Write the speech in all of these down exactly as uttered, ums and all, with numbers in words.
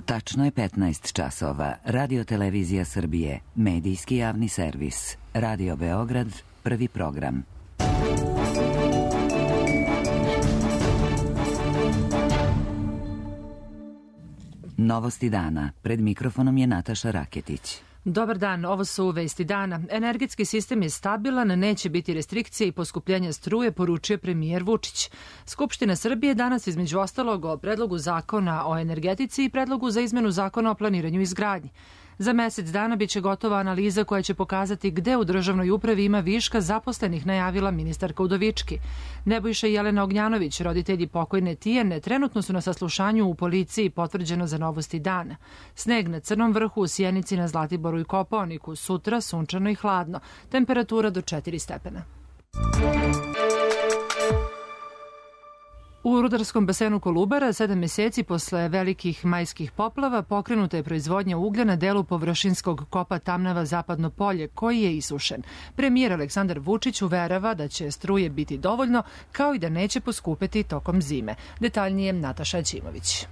Tačno je petnaest časova. Radio Televizija Srbije, medijski javni servis. Radio Beograd, prvi program. Novosti dana. Pred mikrofonom je Nataša Raketić. Dobar dan, ovo su vesti dana. Energetski sistem je stabilan, neće biti restrikcije i poskupljenja struje, poručio premijer Vučić. Skupština Srbije danas između ostalog o predlogu zakona o energetici i predlogu za izmenu zakona o planiranju i izgradnji. Za mesec dana biće gotova analiza koja će pokazati gde u državnoj upravi ima viška zaposlenih, najavila ministarka Udovički. Nebojša i Jelena Ognjanović, roditelji pokojne Tijane, trenutno su na saslušanju u policiji, potvrđeno za Novosti dana. Sneg na Crnom vrhu, u Sjenici, na Zlatiboru i Kopaoniku. Sutra sunčano i hladno. Temperatura do četiri stepena. U rudarskom basenu Kolubara sedam meseci posle velikih majskih poplava pokrenuta je proizvodnja uglja na delu površinskog kopa Tamnava Zapadno polje, koji je isušen. Premijer Aleksandar Vučić uverava da će struje biti dovoljno, kao i da neće poskupeti tokom zime. Detaljnije Nataša Ćimović.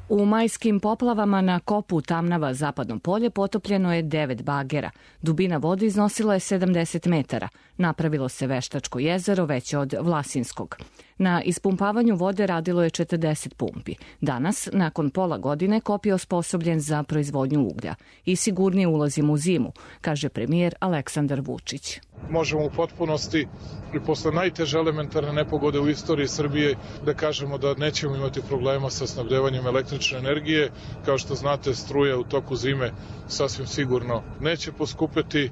U majskim poplavama na kopu Tamnava Zapadno polje potopljeno je devet bagera. Dubina vode iznosila je sedamdeset metara. Napravilo se veštačko jezero veće od Vlasinskog. Na ispumpavanju vode radilo je četrdeset pumpi. Danas, nakon pola godine, kop je osposobljen za proizvodnju uglja i sigurnije ulazimo u zimu, kaže premijer Aleksandar Vučić. Možemo u potpunosti i posle najteže elementarne nepogode u istoriji Srbije da kažemo da nećemo imati problema sa snabdevanjem električne energije. Kao što znate, struja u toku zime sasvim sigurno neće poskupeti,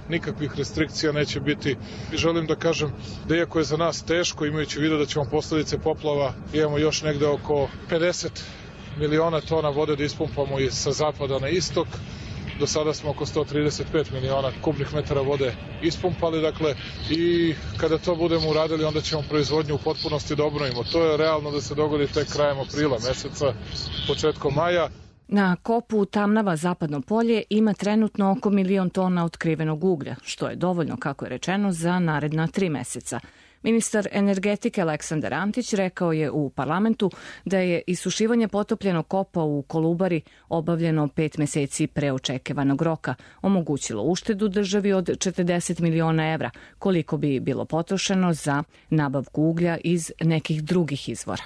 nikakvih restrikcija neće biti. I želim da kažem da iako je za nas teško, imajući u vidu da ćemo posledice poplava, imamo još negde oko pedeset miliona tona vode da ispumpamo sa zapada na istok. Do sada smo oko sto trideset pet miliona kubnih metara vode ispumpali, dakle, i kada to budemo uradili, onda ćemo proizvodnju u potpunosti da obnovimo. To je realno da se dogodi tek krajem aprila meseca, početkom maja. Na kopu Tamnava Zapadno polje ima trenutno oko milion tona otkrivenog uglja, što je dovoljno, kako je rečeno, za naredna tri meseca. Ministar energetike Aleksandar Antić rekao je u parlamentu da je isušivanje potopljenog kopa u Kolubari obavljeno pet meseci pre očekivanog roka, omogućilo uštedu državi od četrdeset miliona evra, koliko bi bilo potrošeno za nabavku uglja iz nekih drugih izvora.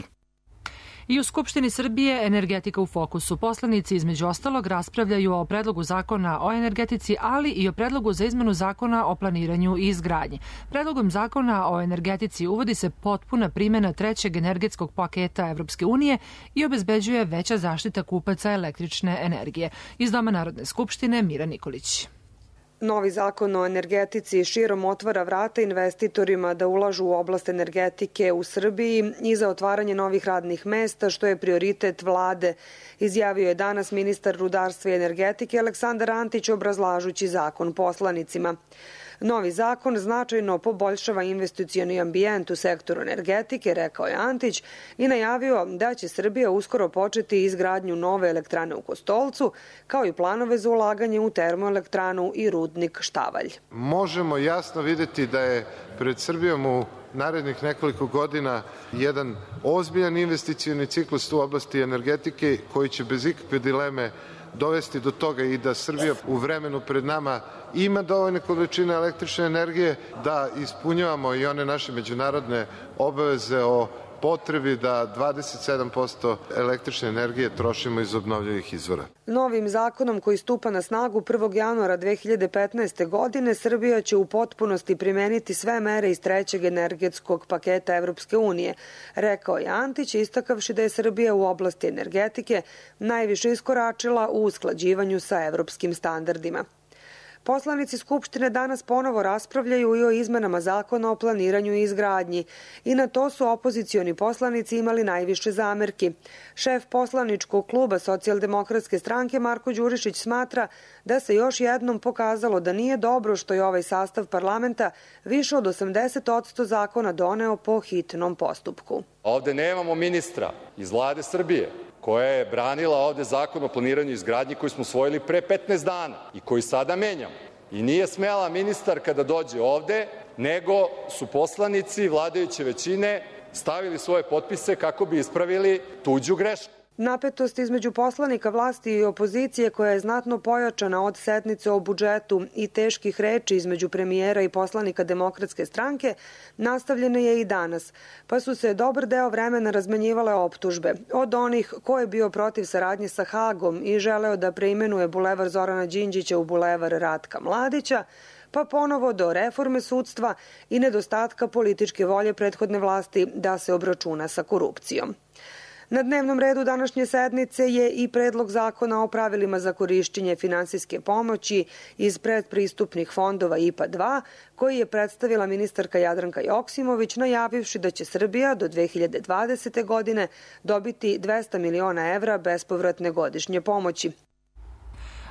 I u Skupštini Srbije energetika u fokusu. Poslanici između ostalog raspravljaju o predlogu zakona o energetici, ali i o predlogu za izmenu zakona o planiranju i izgradnji. Predlogom zakona o energetici uvodi se potpuna primjena trećeg energetskog paketa Evropske unije i obezbeđuje veća zaštita kupaca električne energije. Iz Doma Narodne skupštine Mira Nikolić. Novi zakon o energetici širom otvara vrata investitorima da ulažu u oblast energetike u Srbiji i za otvaranje novih radnih mesta, što je prioritet vlade, izjavio je danas ministar rudarstva i energetike Aleksandar Antić obrazlažući zakon poslanicima. Novi zakon značajno poboljšava investicioni ambijent u sektoru energetike, rekao je Antić, i najavio da će Srbija uskoro početi izgradnju nove elektrane u Kostolcu, kao i planove za ulaganje u termoelektranu i rudnik Štavalj. Možemo jasno videti da je pred Srbijom u narednih nekoliko godina jedan ozbiljan investicioni ciklus u oblasti energetike koji će bez ikakve dileme dovesti do toga i da Srbija u vremenu pred nama ima dovoljne količine električne energije, da ispunjavamo i one naše međunarodne obaveze o potrebi da dvadeset sedam posto električne energije trošimo iz obnovljivih izvora. Novim zakonom koji stupa na snagu prvog januara dve hiljade petnaeste. godine Srbija će u potpunosti primeniti sve mere iz trećeg energetskog paketa Evropske unije, rekao je Antić, istakavši da je Srbija u oblasti energetike najviše iskoračila u usklađivanju sa evropskim standardima. Poslanici Skupštine danas ponovo raspravljaju i o izmenama zakona o planiranju i izgradnji i na to su opozicioni poslanici imali najviše zamerki. Šef poslaničkog kluba Socijaldemokratske stranke Marko Đurišić smatra da se još jednom pokazalo da nije dobro što je ovaj sastav parlamenta više od osamdeset posto zakona doneo po hitnom postupku. Ovde nemamo ministra iz vlade Srbije koja je branila ovde zakon o planiranju i izgradnji koji smo usvojili pre petnaest dana i koji sada menjamo. I nije smela ministar kada dođe ovde, nego su poslanici vladajuće većine stavili svoje potpise kako bi ispravili tuđu grešku. Napetost između poslanika vlasti i opozicije, koja je znatno pojačana od sednice o budžetu i teških reči između premijera i poslanika Demokratske stranke, nastavljena je i danas, pa su se dobar deo vremena razmenjivale optužbe. Od onih ko je bio protiv saradnje sa Hagom i želeo da preimenuje bulevar Zorana Đinđića u bulevar Ratka Mladića, pa ponovo do reforme sudstva i nedostatka političke volje prethodne vlasti da se obračuna sa korupcijom. Na dnevnom redu današnje sednice je i predlog zakona o pravilima za korišćenje finansijske pomoći iz predpristupnih fondova I P A dva, koji je predstavila ministarka Jadranka Joksimović, najavivši da će Srbija do dve hiljade dvadesete. godine dobiti dvesta miliona evra bespovratne godišnje pomoći.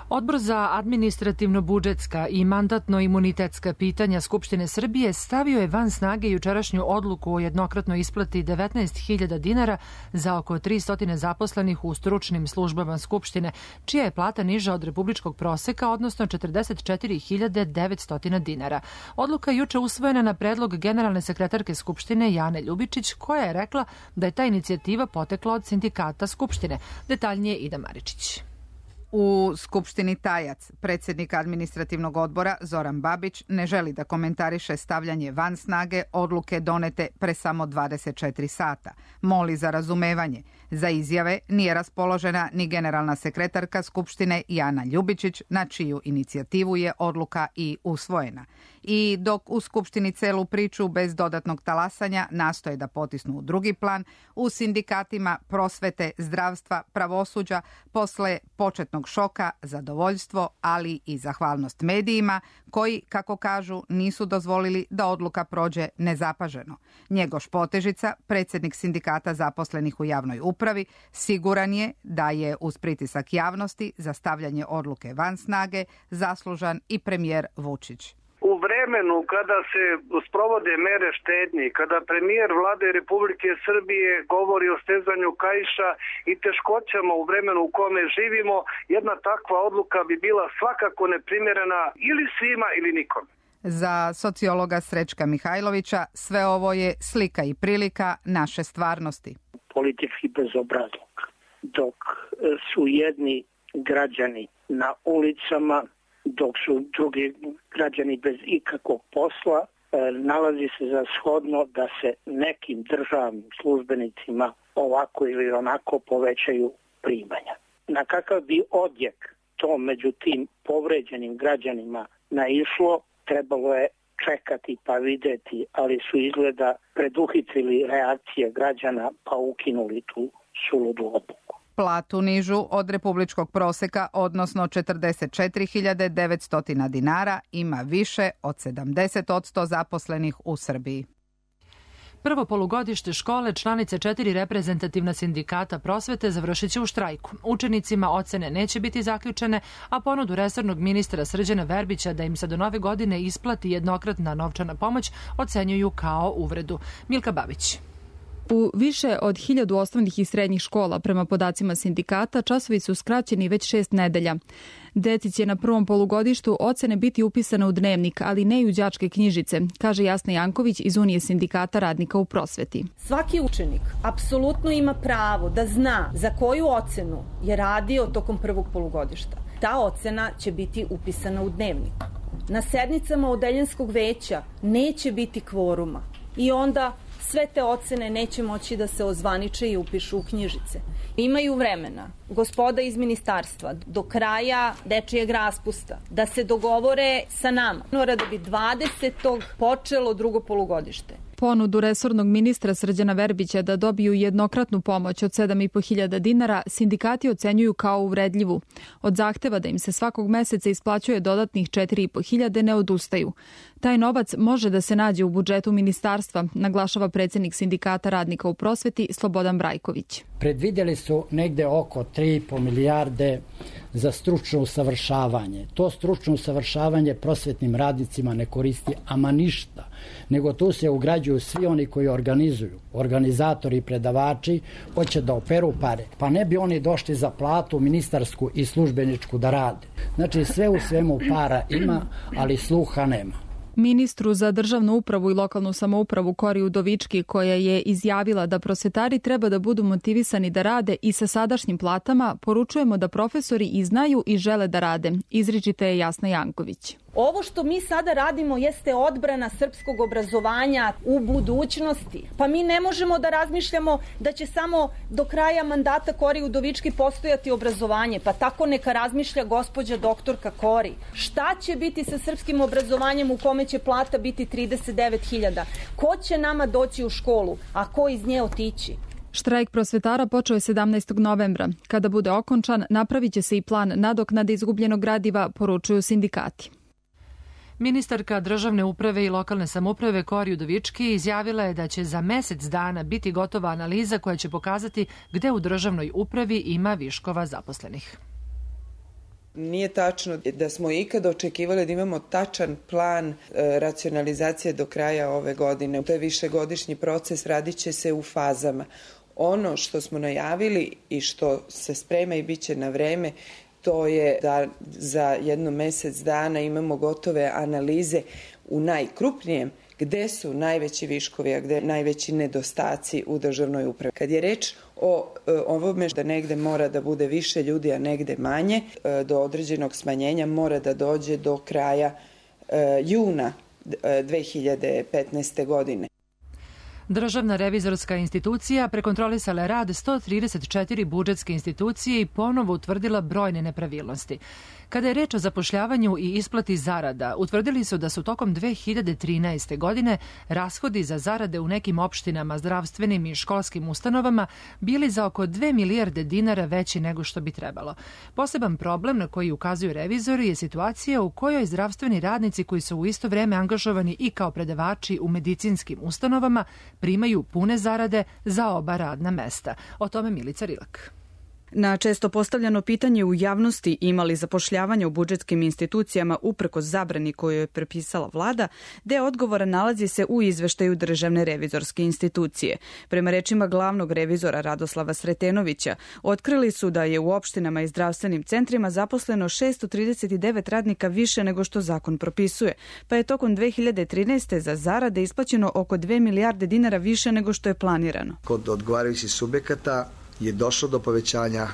Odbor za administrativno-budžetska i mandatno-imunitetska pitanja Skupštine Srbije stavio je van snage jučerašnju odluku o jednokratnoj isplati devetnaest hiljada dinara za oko tristo zaposlenih u stručnim službama Skupštine, čija je plata niža od republičkog proseka, odnosno četrdeset četiri hiljade devetsto dinara. Odluka je juče usvojena na predlog generalne sekretarke Skupštine Jane Ljubičić, koja je rekla da je ta inicijativa potekla od sindikata Skupštine. Detaljnije Ida Maričić. U Skupštini Tajac, predsjednik administrativnog odbora Zoran Babić ne želi da komentariše stavljanje van snage odluke donete pre samo dvadeset četiri sata. Moli za razumevanje. Za izjave nije raspoložena ni generalna sekretarka Skupštine Jana Ljubičić, na čiju inicijativu je odluka i usvojena. I dok u Skupštini celu priču bez dodatnog talasanja nastoje da potisnu u drugi plan, u sindikatima prosvete, zdravstva, pravosuđa, posle početnog šoka, zadovoljstvo, ali i zahvalnost medijima, koji, kako kažu, nisu dozvolili da odluka prođe nezapaženo. Njegoš Potežica, predsjednik sindikata zaposlenih u javnoj upravi, siguran je da je uz pritisak javnosti za stavljanje odluke van snage zaslužan i premijer Vučić. U vremenu kada se sprovode mere štednje, kada premijer vlade Republike Srbije govori o stezanju kaiša i teškoćama u vremenu u kome živimo, jedna takva odluka bi bila svakako neprimjerena ili svima ili nikom. Za sociologa Srećka Mihajlovića sve ovo je slika i prilika naše stvarnosti. Politički bezobrazluk. Dok su jedni građani na ulicama, dok su drugi građani bez ikakvog posla, nalazi se za shodno da se nekim državnim službenicima ovako ili onako povećaju primanja. Na kakav bi odjek to među tim povređenim građanima naišlo, trebalo je čekati pa videti, ali su izgleda preduhitrili reakcije građana pa ukinuli tu suludu odluku. Platu nižu od republičkog proseka, odnosno četrdeset četiri hiljade devetsto dinara, ima više od sedamdeset posto zaposlenih u Srbiji. Prvo polugodište škole članice četiri reprezentativna sindikata prosvete završit će u štrajku. Učenicima ocene neće biti zaključene, a ponudu resornog ministra Srđana Verbića da im se do nove godine isplati jednokratna novčana pomoć ocenjuju kao uvredu. Milka Babić. U više od hiljadu osnovnih i srednjih škola, prema podacima sindikata, časovi su skraćeni već šest nedelja. Deci će na prvom polugodištu ocene biti upisane u dnevnik, ali ne i u đačke knjižice, kaže Jasna Janković iz Unije sindikata radnika u prosveti. Svaki učenik apsolutno ima pravo da zna za koju ocenu je radio tokom prvog polugodišta. Ta ocena će biti upisana u dnevnik. Na sednicama odeljenskog veća neće biti kvoruma i onda sve te ocene neće moći da se ozvaniče i upišu u knjižice. Imaju vremena gospoda iz ministarstva do kraja dečijeg raspusta da se dogovore sa nama. Da bi dvadesetog počelo drugo polugodište. Ponudu resornog ministra Srđana Verbića da dobiju jednokratnu pomoć od sedam i po hiljada dinara sindikati ocenjuju kao uvredljivu. Od zahteva da im se svakog meseca isplaćuje dodatnih četiri i po hiljade ne odustaju. Taj novac može da se nađe u budžetu ministarstva, naglašava predsjednik sindikata radnika u prosveti Slobodan Brajković. Predvidjeli su negde oko tri i po milijarde za stručno usavršavanje. To stručno usavršavanje prosvetnim radnicima ne koristi ama ništa, nego tu se ugrađuju svi oni koji organizuju. Organizatori i predavači hoće da operu pare, pa ne bi oni došli za platu ministarsku i službeničku da rade. Znači sve u svemu para ima, ali sluha nema. Ministru za državnu upravu i lokalnu samoupravu Kori Udovički, koja je izjavila da prosvetari treba da budu motivisani da rade i sa sadašnjim platama, poručujemo da profesori i znaju i žele da rade. Izričite je Jasna Janković. Ovo što mi sada radimo jeste odbrana srpskog obrazovanja u budućnosti. Pa mi ne možemo da razmišljamo da će samo do kraja mandata Kori Udovički postojati obrazovanje. Pa tako neka razmišlja gospođa doktorka Kori. Šta će biti sa srpskim obrazovanjem u kome će plata biti trideset devet hiljada? Ko će nama doći u školu, a ko iz nje otići? Štrajk prosvetara počeo je sedamnaestog novembra. Kada bude okončan, napravit će se i plan nadoknade izgubljenog gradiva, poručuju sindikati. Ministarka državne uprave i lokalne samouprave Kori Udovički izjavila je da će za mesec dana biti gotova analiza koja će pokazati gde u državnoj upravi ima viškova zaposlenih. Nije tačno da smo ikada očekivali da imamo tačan plan e, racionalizacije do kraja ove godine. To je višegodišnji proces, radit će se u fazama. Ono što smo najavili i što se sprema i bit će na vreme, to je da za jedno mesec dana imamo gotove analize u najkrupnijem gde su najveći viškovi, a gde najveći nedostaci u državnoj upravi. Kad je reč o ovome da negde mora da bude više ljudi, a negde manje, do određenog smanjenja mora da dođe do kraja juna dve hiljade petnaeste. godine. Državna revizorska institucija prekontrolisala je rad sto trideset četiri budžetske institucije i ponovo utvrdila brojne nepravilnosti. Kada je reč o zapošljavanju i isplati zarada, utvrdili su da su tokom dve hiljade trinaeste. godine rashodi za zarade u nekim opštinama, zdravstvenim i školskim ustanovama bili za oko dve milijarde dinara veći nego što bi trebalo. Poseban problem na koji ukazuju revizori je situacija u kojoj zdravstveni radnici koji su u isto vreme angažovani i kao predavači u medicinskim ustanovama primaju pune zarade za oba radna mesta. O tome Milica Rilak. Na često postavljano pitanje u javnosti imali zapošljavanja u budžetskim institucijama uprkos zabrani koju je prepisala vlada, deo odgovora nalazi se u izveštaju Državne revizorske institucije. Prema rečima glavnog revizora Radoslava Sretenovića, otkrili su da je u opštinama i zdravstvenim centrima zaposleno šessto trideset devet radnika više nego što zakon propisuje, pa je tokom dve hiljade trinaeste. za zarade isplaćeno oko dve milijarde dinara više nego što je planirano. Kod odgovarajućih subjekata je došlo do povećanja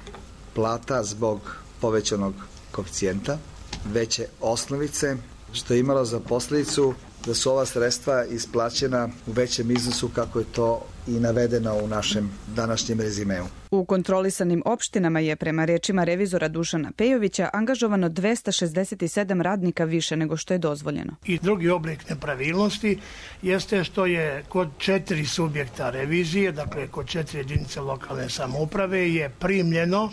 plata zbog povećanog koeficijenta, veće osnovice, što je imalo za posljedicu da su ova sredstva isplaćena u većem iznosu kako je to i navedeno u našem današnjem rezimeu. U kontrolisanim opštinama je prema rečima revizora Dušana Pejovića angažovano dvesta šezdeset sedam radnika više nego što je dozvoljeno. I drugi oblik nepravilnosti jeste što je kod četiri subjekta revizije, dakle kod četiri jedinice lokalne samouprave, je primljeno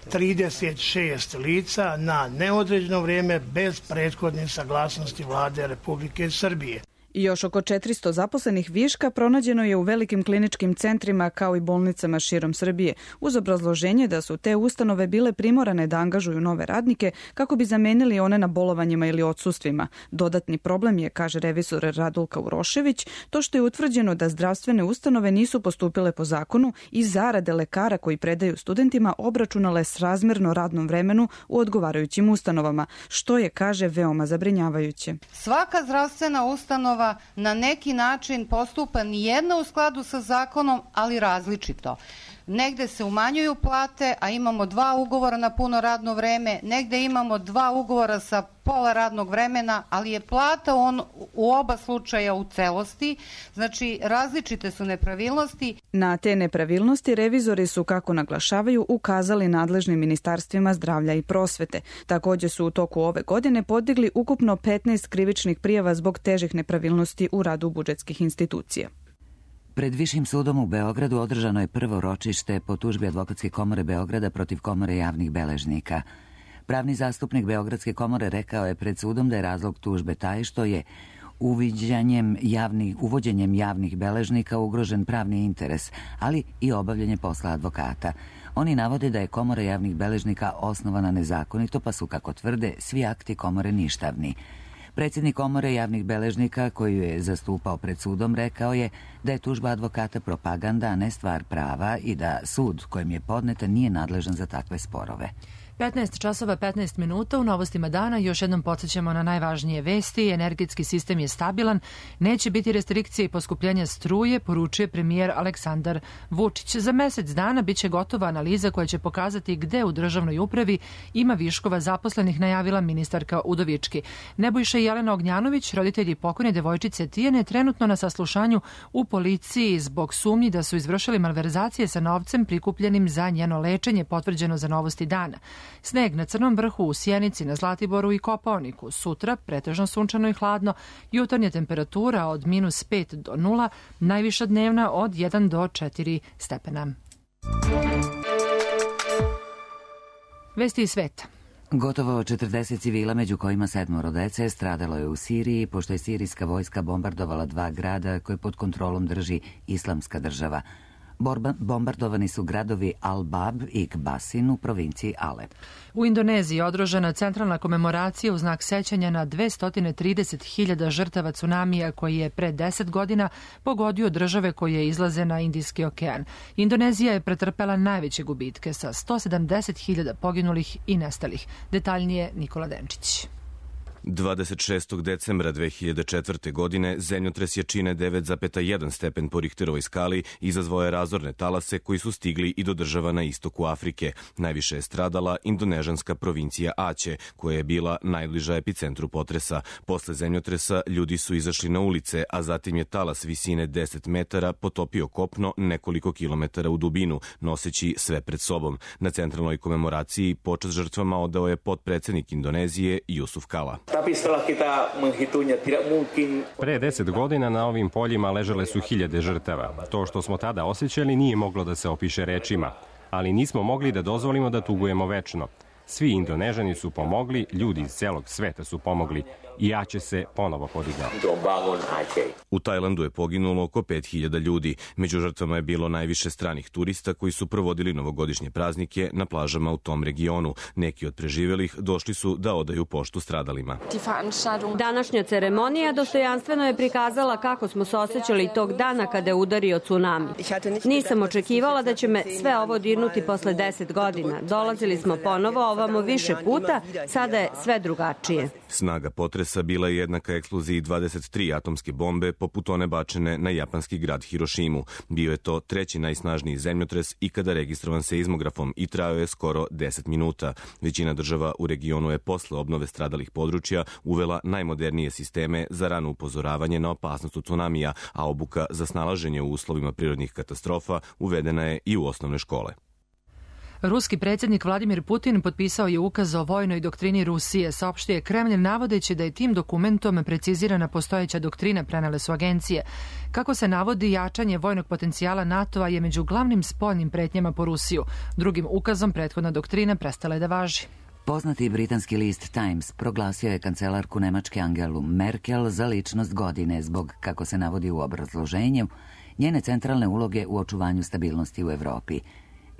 trideset šest lica na neodređeno vrijeme bez prethodne saglasnosti Vlade Republike Srbije. I još oko četiristo zaposlenih viška pronađeno je u velikim kliničkim centrima kao i bolnicama širom Srbije, uz obrazloženje da su te ustanove bile primorane da angažuju nove radnike kako bi zamenili one na bolovanjima ili odsustvima. Dodatni problem je, kaže revizor Radulka Urošević, to što je utvrđeno da zdravstvene ustanove nisu postupile po zakonu i zarade lekara koji predaju studentima obračunale srazmjerno radnom vremenu u odgovarajućim ustanovama, što je, kaže, veoma zabrinjavajuće. Svaka zdravstvena ustanova na neki način postupa nijedna u skladu sa zakonom, ali različito. Negde se umanjuju plate, a imamo dva ugovora na puno radno vreme, negde imamo dva ugovora sa pola radnog vremena, ali je plata on, u oba slučaja u celosti, znači različite su nepravilnosti. Na te nepravilnosti revizori su, kako naglašavaju, ukazali nadležnim ministarstvima zdravlja i prosvete. Također su u toku ove godine podigli ukupno petnaest krivičnih prijava zbog težih nepravilnosti u radu budžetskih institucija. Pred Višim sudom u Beogradu održano je prvo ročište po tužbi Advokatske komore Beograda protiv Komore javnih beležnika. Pravni zastupnik Beogradske komore rekao je pred sudom da je razlog tužbe taj što je uviđanjem javnih, uvođenjem javnih beležnika ugrožen pravni interes, ali i obavljanje posla advokata. Oni navode da je Komora javnih beležnika osnovana nezakonito, pa su, kako tvrde, svi akti komore ništavni. Predsjednik Komore javnih beležnika, koju je zastupao pred sudom, rekao je da je tužba advokata propaganda, a ne stvar prava i da sud kojem je podneta nije nadležan za takve sporove. petnaest časova petnaest minuta u novostima dana. Još jednom podsjećamo na najvažnije vesti. Energetski sistem je stabilan, neće biti restrikcije i poskupljenja struje, poručuje premijer Aleksandar Vučić. Za mesec dana biće gotova analiza koja će pokazati gde u državnoj upravi ima viškova zaposlenih, najavila ministarka Udovički. Nebojša i Jelena Ognjanović, roditelji pokojne devojčice Tijane, trenutno na saslušanju u policiji zbog sumnji da su izvršili malverzacije sa novcem prikupljenim za njeno lečenje, potvrđeno za Novosti dana. Sneg na Crnom vrhu, u Sjenici, na Zlatiboru i Kopaoniku. Sutra pretežno sunčano i hladno, jutarnja temperatura od minus pet do nula, najviša dnevna od jedan do četiri stepena. Vesti iz sveta. Gotovo četrdeset civila, među kojima sedmoro dece, stradalo je u Siriji, pošto je sirijska vojska bombardovala dva grada koje pod kontrolom drži Islamska država. Borba, bombardovani su gradovi Al-Bab i Kbasin u provinciji Alep. U Indoneziji održana centralna komemoracija u znak sećanja na dvesta trideset hiljada žrtava tsunamija koji je pre deset godina pogodio države koje izlaze na Indijski okean. Indonezija je pretrpela najveće gubitke sa sto sedamdeset hiljada poginulih i nestalih. Detaljnije Nikola Denčić. dvadeset šestog decembra dve hiljade četvrte. godine zemljotres jačine devet zarez jedan stepen po Richterovoj skali izazvao je razorne talase koji su stigli i do država na istoku Afrike. Najviše je stradala indonežanska provincija Aceh, koja je bila najbliža epicentru potresa. Posle zemljotresa ljudi su izašli na ulice, a zatim je talas visine deset metara potopio kopno nekoliko kilometara u dubinu, noseći sve pred sobom. Na centralnoj komemoraciji počast žrtvama odao je potpredsednik Indonezije Jusuf Kala. Pre deset godina na ovim poljima ležale su hiljade žrtava. To što smo tada osjećali nije moglo da se opiše rečima, ali nismo mogli da dozvolimo da tugujemo večno. Svi Indonežani su pomogli, ljudi iz celog sveta su pomogli i Aceh se ponovo podigao. U Tajlandu je poginulo oko pet hiljada ljudi. Među žrtvama je bilo najviše stranih turista koji su provodili novogodišnje praznike na plažama u tom regionu. Neki od preživelih došli su da odaju poštu stradalima. Današnja ceremonija dostojanstveno je prikazala kako smo se osjećali tog dana kada je udario tsunami. Nisam očekivala da će me sve ovo dirnuti posle deset godina. Dolazili smo ponovo ovamo više puta, sada je sve drugačije. Snaga potresa bila je jednaka eksploziji dvadeset tri atomske bombe poput one bačene na japanski grad Hirošimu. Bio je to treći najsnažniji zemljotres ikada registrovan seizmografom i trajao je skoro deset minuta. Većina država u regionu je posle obnove stradalih područja uvela najmodernije sisteme za rano upozoravanje na opasnost od tsunamija, a obuka za snalaženje u uslovima prirodnih katastrofa uvedena je i u osnovne škole. Ruski predsjednik Vladimir Putin potpisao je ukaz o vojnoj doktrini Rusije, saopštio je Kremlj navodeći da je tim dokumentom precizirana postojeća doktrina, prenele su agencije. Kako se navodi, jačanje vojnog potencijala NATO-a je među glavnim spoljnim pretnjama po Rusiju. Drugim ukazom prethodna doktrina prestala je da važi. Poznati britanski list Times proglasio je kancelarku Nemačke Angelu Merkel za ličnost godine zbog, kako se navodi u obrazloženju, njene centralne uloge u očuvanju stabilnosti u Evropi.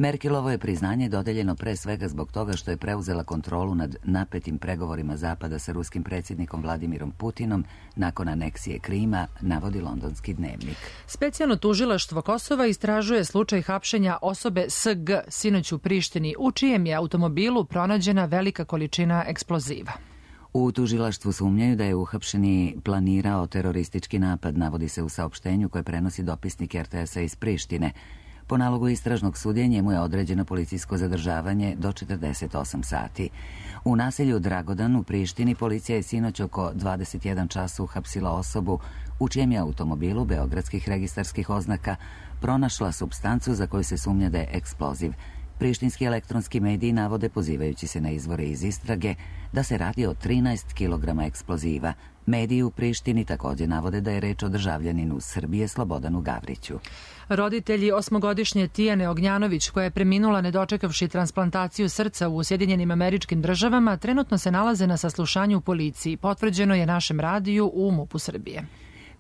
Merkelovo je priznanje dodeljeno pre svega zbog toga što je preuzela kontrolu nad napetim pregovorima Zapada sa ruskim predsjednikom Vladimirom Putinom nakon aneksije Krima, navodi londonski dnevnik. Specijalno tužilaštvo Kosova istražuje slučaj hapšenja osobe S G sinoć u Prištini, u čijem je automobilu pronađena velika količina eksploziva. U tužilaštvu sumnjaju da je uhapšeni planirao teroristički napad, navodi se u saopštenju koje prenosi dopisnik R T S-a iz Prištine. Po nalogu istražnog sudije njemu je određeno policijsko zadržavanje do četrdeset osam sati. U naselju Dragodan u Prištini policija je sinoć oko dvadeset jedan časa uhapsila osobu u čijem je automobilu beogradskih registarskih oznaka pronašla supstancu za koju se sumnja da je eksploziv. Prištinski elektronski mediji navode, pozivajući se na izvore iz istrage, da se radi o trinaest kilograma eksploziva. Mediji u Prištini također navode da je reč o državljaninu Srbije Slobodanu Gavriću. Roditelji osmogodišnje Tijane Ognjanović, koja je preminula ne dočekavši transplantaciju srca u Sjedinjenim Američkim Državama, trenutno se nalaze na saslušanju u policiji. Potvrđeno je našem radiju u MUP-u Srbije.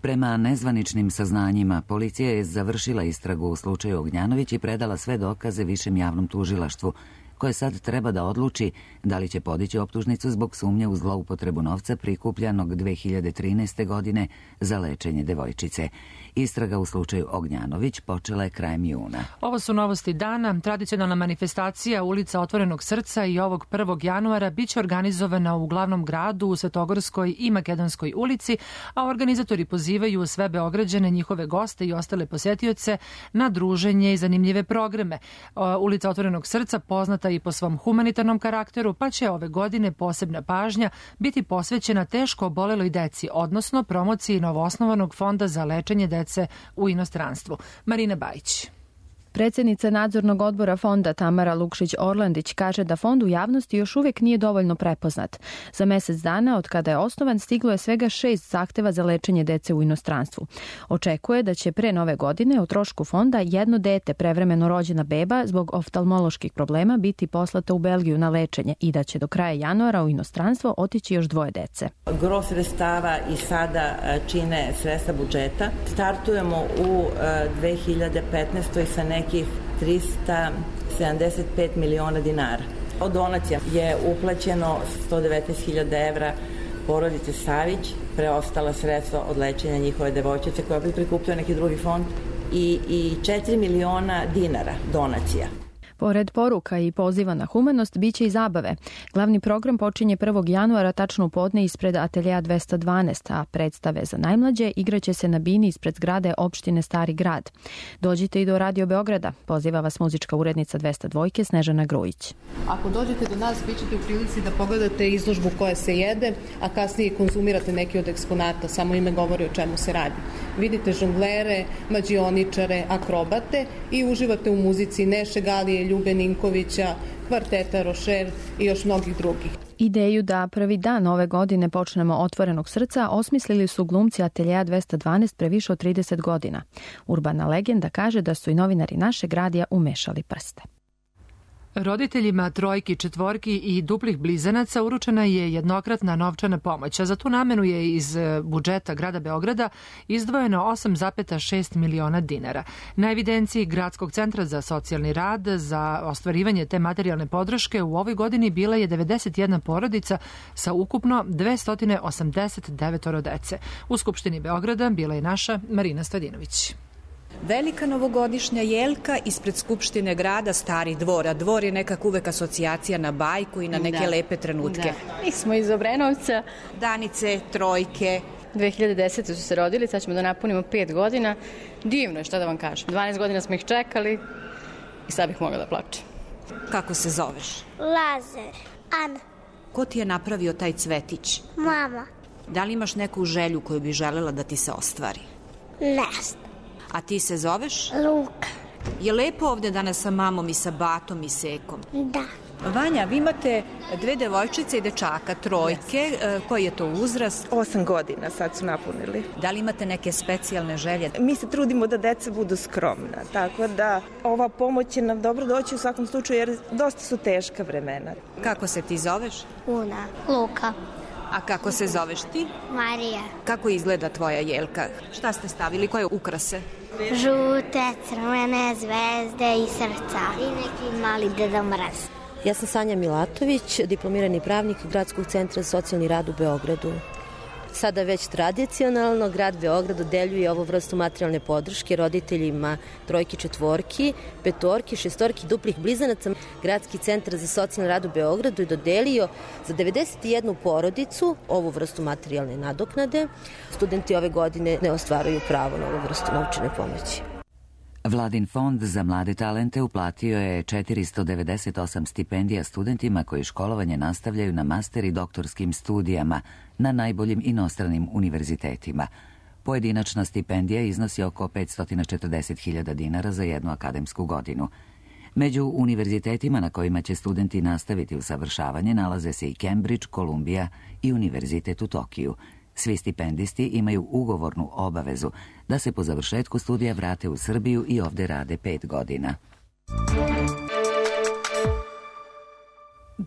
Prema nezvaničnim saznanjima, policija je završila istragu u slučaju Ognjanović i predala sve dokaze višem javnom tužilaštvu, koje sad treba da odluči da li će podići optužnicu zbog sumnje u zloupotrebu novca prikupljanog dve hiljade trinaeste. godine za lečenje devojčice. Istraga u slučaju Ognjanović počela je krajem juna. Ovo su novosti dana. Tradicionalna manifestacija Ulica Otvorenog srca i ovog prvog januara biće organizovana u glavnom gradu, u Svetogorskoj i Makedonskoj ulici, a organizatori pozivaju sve Beograđane, njihove goste i ostale posetioce na druženje i zanimljive programe. Ulica Otvorenog srca poznata i po svom humanitarnom karakteru, pa će ove godine posebna pažnja biti posvećena teško oboleloj deci, odnosno promociji novoosnovanog fonda za lečenje dece u inostranstvu. Marina Bajić. Predsjednica nadzornog odbora fonda Tamara Lukšić-Orlandić kaže da fond u javnosti još uvijek nije dovoljno prepoznat. Za mjesec dana od kada je osnovan stiglo je svega šest zahteva za lečenje dece u inostranstvu. Očekuje da će pre nove godine o trošku fonda jedno dete, prevremeno rođena beba, zbog oftalmoloških problema biti poslata u Belgiju na lečenje i da će do kraja januara u inostranstvo otići još dvoje dece. Gro sredstava i sada čine sredstva budžeta. Startujemo u dve hiljade petnaestoj. sa nekih trista sedamdeset pet miliona dinara. Od donacija je uplaćeno sto devetnaest hiljada evra porodice Savić, preostala sredstva od lečenja njihove devojčice koja bi prikupio neki drugi fond i, i četiri miliona dinara donacija. Pored poruka i poziva na humanost, bit će i zabave. Glavni program počinje prvog januara tačno u podne ispred ateljeja dvesta dvanaest, a predstave za najmlađe igraće se na bini ispred zgrade opštine Stari grad. Dođite i do Radio Beograda, poziva vas muzička urednica dvesta dva Snežana Grujić. Ako dođete do nas, bit ćete u prilici da pogledate izložbu koja se jede, a kasnije konzumirate neki od eksponata, samo ime govori o čemu se radi. Vidite žonglere, mađioničare, akrobate i uživate u muzici Neše Galije, Ljube Ninkovića, kvarteta Rošer i još mnogih drugih. Ideju da prvi dan ove godine počnemo Otvorenog srca osmislili su glumci ateljeja dvesta dvanaest pre više od trideset godina. Urbana legenda kaže da su i novinari našeg radija umešali prste. Roditeljima trojki, četvorki i duplih blizanaca uručena je jednokratna novčana pomoć, a za tu namenu je iz budžeta grada Beograda izdvojeno osam zarez šest miliona dinara. Na evidenciji Gradskog centra za socijalni rad za ostvarivanje te materijalne podrške u ovoj godini bila je devedeset jedna porodica sa ukupno dvesta osamdeset devet dece. U Skupštini Beograda bila je naša Marina Stojadinović. Velika novogodišnja jelka ispred Skupštine grada, Stari dvor, a dvor je nekak uvek asocijacija na bajku i na neke da. lepe trenutke. Da. Mi smo iz Obrenovca. Danice, trojke. dve hiljade desete su se rodili, sad ćemo da napunimo pet godina. Divno je, šta da vam kažem. dvanaest godina smo ih čekali i sad bih mogla da plačem. Kako se zoveš? Lazar. Ana. Ko ti je napravio taj cvetić? Mama. Da li imaš neku želju koju bi želela da ti se ostvari? Ne. A ti se zoveš? Luka. Je lepo ovde danas sa mamom i sa batom i sekom? Da. Vanja, vi imate dve devojčice i dečaka, trojke. Yes. Koji je to uzrast? Osam godina sad su napunili. Da li imate neke specijalne želje? Mi se trudimo da deca budu skromna, tako da ova pomoć će nam dobro doći u svakom slučaju jer dosta su teška vremena. Kako se ti zoveš? Una. Luka. A kako se zoveš ti? Marija. Kako izgleda tvoja jelka? Šta ste stavili? Koje ukrase? Žute, crvene, zvezde i srca. I neki mali Deda Mraz. Ja sam Sanja Milatović, diplomirani pravnik Gradskog centra za socijalni rad u Beogradu. Sada već tradicionalno grad Beograd dodeljuje ovu vrstu materijalne podrške roditeljima trojki, četvorki, petorki, šestorki, duplih blizanaca. Gradski centar za socijalni rad u Beogradu je dodelio za devedeset jednu porodicu ovu vrstu materijalne nadoknade. Studenti ove godine ne ostvaruju pravo na ovu vrstu novčane pomoći. Vladin fond za mlade talente uplatio je četiristo devedeset osam stipendija studentima koji školovanje nastavljaju na master i doktorskim studijama na najboljim inostranim univerzitetima. Pojedinačna stipendija iznosi oko petsto četrdeset hiljada dinara za jednu akademsku godinu. Među univerzitetima na kojima će studenti nastaviti usavršavanje nalaze se i Cambridge, Kolumbija i Univerzitet u Tokiju. Svi stipendisti imaju ugovornu obavezu da se po završetku studija vrate u Srbiju i ovde rade pet godina.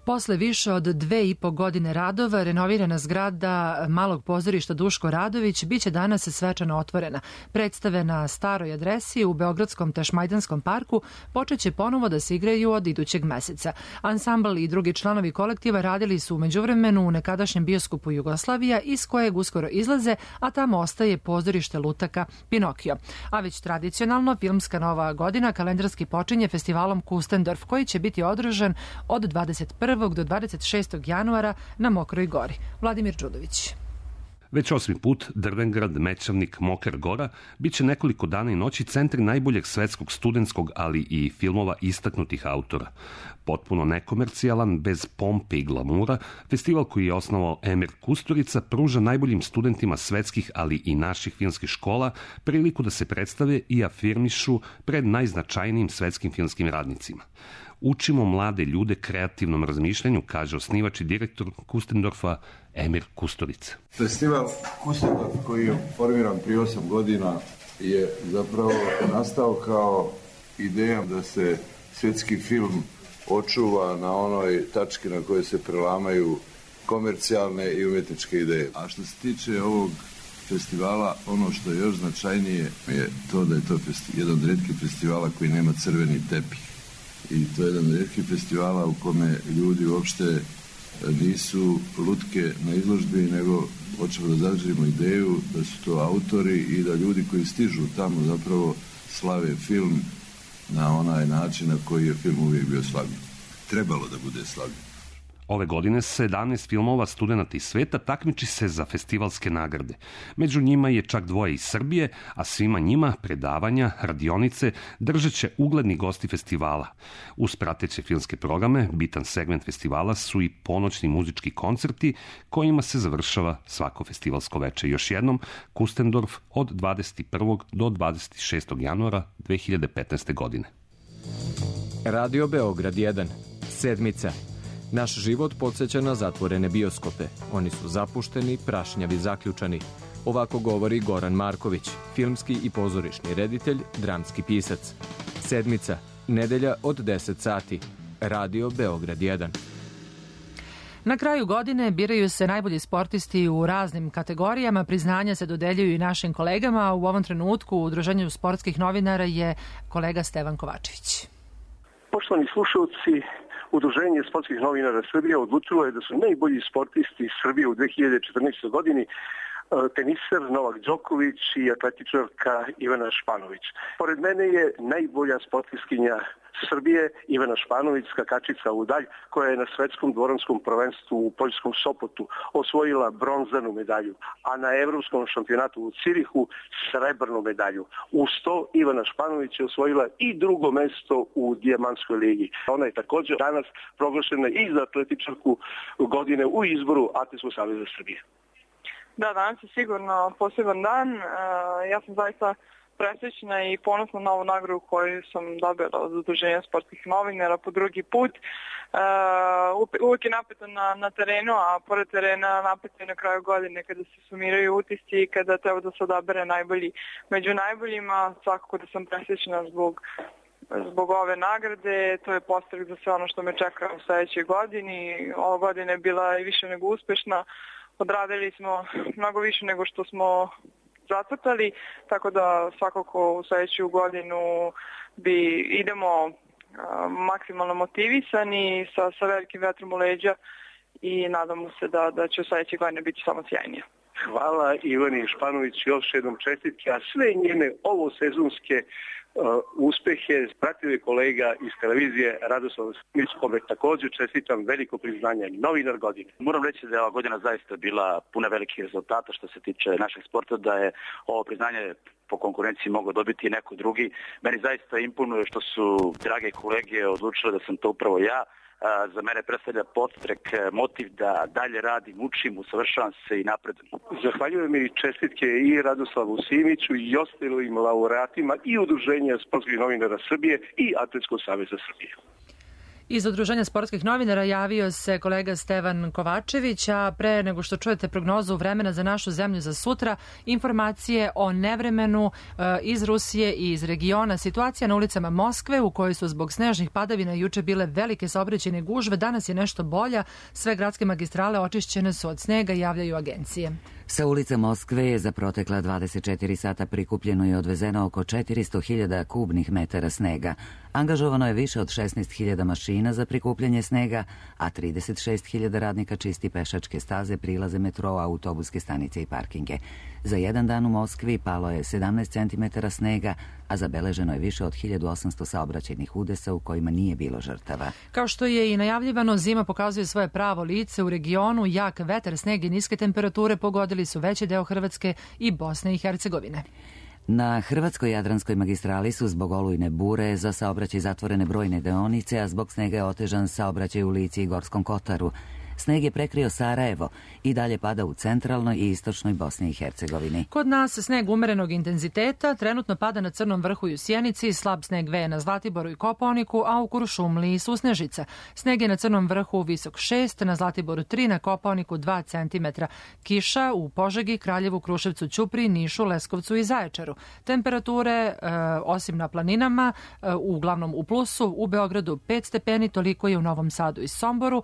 Posle više od dve i po godine radova, renovirana zgrada Malog pozorišta Duško Radović biće danas svečano otvorena. Predstave na staroj adresi u Beogradskom Tašmajdanskom parku počeće ponovo da se igraju od idućeg meseca. Ansambl i drugi članovi kolektiva radili su u međuvremenu u nekadašnjem bioskopu Jugoslavija, iz kojeg uskoro izlaze, a tamo ostaje pozorište lutaka Pinokio. A već tradicionalno, filmska nova godina kalendarski počinje festivalom Kustendorf, koji će biti održan od dvadeset prvog do dvadeset šestog januara na Mokroj gori. Vladimir Đudović. Već osmi put Drvengrad, Mečavnik, Mokra Gora biće nekoliko dana i noći centri najboljeg svetskog studentskog, ali i filmova istaknutih autora. Potpuno nekomercijalan, bez pompe i glamura, festival koji je osnovao Emir Kusturica pruža najboljim studentima svetskih, ali i naših filmskih škola priliku da se predstave i afirmišu pred najznačajnijim svetskim filmskim radnicima. Učimo mlade ljude kreativnom razmišljanju, kaže osnivač i direktor Kustendorfa Emir Kusturica. Festival Kustendorf, koji je formiran prije osam godina, je zapravo nastao kao ideja da se svjetski film očuva na onoj tački na kojoj se prelamaju komercijalne i umjetničke ideje. A što se tiče ovog festivala, ono što je još značajnije je to da je to jedan od rijetkih festivala koji nema crveni tepih. I to je jedan od rijetkih festivala u kome ljudi uopšte nisu lutke na izložbi, nego hoćemo da zadržimo ideju da su to autori i da ljudi koji stižu tamo zapravo slave film na onaj način na koji je film uvijek bio slavljen. Trebalo da bude slavljen. Ove godine sedamnaest filmova studenata iz sveta takmiči se za festivalske nagrade. Među njima je čak dvoje iz Srbije, a svima njima predavanja, radionice držat će ugledni gosti festivala. Uz prateće filmske programe, bitan segment festivala su i ponoćni muzički koncerti kojima se završava svako festivalsko veče. Još jednom, Kustendorf od dvadeset prvog do dvadeset šestog januara dve hiljade petnaeste. godine. Radio Beograd jedan. Sedmica. Naš život podsjeća na zatvorene bioskope. Oni su zapušteni, prašnjavi, zaključani. Ovako govori Goran Marković, filmski i pozorišni reditelj, dramski pisac. Sedmica. Nedelja od deset sati. Radio Beograd jedan. Na kraju godine biraju se najbolji sportisti u raznim kategorijama. Priznanja se dodeljuju i našim kolegama. U ovom trenutku u Udruženju sportskih novinara je kolega Stevan Kovačević. Poštovani slušalci, Udruženje sportskih novinara Srbije odlučilo je da su najbolji sportisti Srbije u dve hiljade četrnaestoj. godini teniser Novak Đoković i atletičarka Ivana Španović. Pored mene je najbolja sportistkinja Srbije Ivana Španović, skakačica u dalj, koja je na svetskom dvoranskom prvenstvu u poljskom Sopotu osvojila bronzanu medalju, a na evropskom šampionatu u Cirihu srebrnu medalju. Uz to Ivana Španović je osvojila i drugo mesto u Dijamantskoj ligi. Ona je također danas proglašena i za atletičarku godine u izboru Atletskog saveza Srbije. Da, danas je sigurno poseban dan. Ja sam zaista presrećna i ponosna na ovu nagradu koju sam dobila od Udruženja sportskih novinara po drugi put. Uh, uvijek je napeto na, na terenu, a pored terena napeto je na kraju godine kada se sumiraju utisci i kada treba da se odabere najbolji. Među najboljima svakako da sam presrećna zbog zbog ove nagrade. To je postrek za sve ono što me čeka u sljedećoj godini. Ova godina je bila i više nego uspešna. Odradili smo mnogo više nego što smo zacrtali, tako da svakako u sljedeću godinu bi idemo a, maksimalno motivisani sa, sa velikim vetrom u leđa i nadamo se da, da će u sljedećoj godine biti samo sjajnije. Hvala Ivani Španović, još jednom čestitke, a sve njene ovosezonske uh, uspehe pratio je kolega iz televizije Radoslav Simić, kome također čestitam veliko priznanje, novinar godine. Moram reći da je ova godina zaista bila puna velikih rezultata što se tiče našeg sporta, da je ovo priznanje po konkurenciji mogao dobiti i neko drugi. Meni zaista imponuje što su drage kolege odlučile da sam to upravo ja. Za mene predstavlja podstrek, motiv da dalje radim, učim, usavršavam se i napredujem. Zahvaljujem i čestitke i Radoslavu Simiću i ostalim laureatima i Udruženja sportskih novinara Srbije i Atletskog saveza Srbije. Iz Udruženja sportskih novinara javio se kolega Stevan Kovačević, a pre nego što čujete prognozu vremena za našu zemlju za sutra, informacije o nevremenu iz Rusije i iz regiona. Situacija na ulicama Moskve, u kojoj su zbog snežnih padavina juče bile velike saobraćajne gužve, danas je nešto bolja. Sve gradske magistrale očišćene su od snega, javljaju agencije. Sa ulica Moskve je za protekla dvadeset četiri sata prikupljeno i odvezeno oko četiristo hiljada kubnih metara snega. Angažovano je više od šesnaest hiljada mašina za prikupljanje snega, a trideset šest hiljada radnika čisti pešačke staze, prilaze metroa, autobuske stanice i parkinge. Za jedan dan u Moskvi palo je sedamnaest centimetara snega, a zabeleženo je više od hiljadu osamsto saobraćajnih udesa u kojima nije bilo žrtava. Kao što je i najavljivano, zima pokazuje svoje pravo lice u regionu. Jak vetar, sneg i niske temperature pogodili su veći deo Hrvatske i Bosne i Hercegovine. Na Hrvatskoj Jadranskoj magistrali su zbog olujne bure za saobraćaj zatvorene brojne deonice, a zbog snega je otežan saobraćaj u Lici i Gorskom Kotaru. Sneg je prekrio Sarajevo i dalje pada u centralnoj i istočnoj Bosni i Hercegovini. Kod nas sneg umerenog intenziteta trenutno pada na Crnom vrhu i u Sjenici, slab sneg veje na Zlatiboru i Kopaoniku, a u Kuršumliji susnežica. Sneg je na Crnom vrhu visok šest, na Zlatiboru tri, na Kopaoniku dva centimetra. Kiša u Požegi, Kraljevu, Kruševcu, Ćupriji, Nišu, Leskovcu i Zaječaru. Temperature, e, osim na planinama, e, uglavnom u plusu, u Beogradu pet stepeni, toliko je u Novom Sadu i Somboru,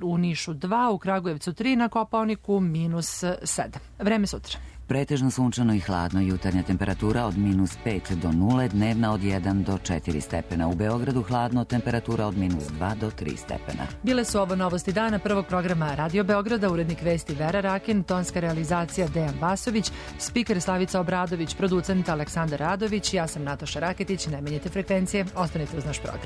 u Nišu dva, u Kragujevcu tri, na Kopaoniku minus sedam. Vreme sutra. Pretežno sunčano i hladno, jutarnja temperatura od minus pet do nule, dnevna od jedan do četiri stepena. U Beogradu hladno, temperatura od minus dva do tri stepena. Bile su ovo novosti dana prvog programa Radio Beograda, urednik vesti Vera Rakin, tonska realizacija Dejan Vasović, spiker Slavica Obradović, producent Aleksandar Radović, ja sam Nataša Raketić, ne menjajte frekvencije, ostanite uz naš program.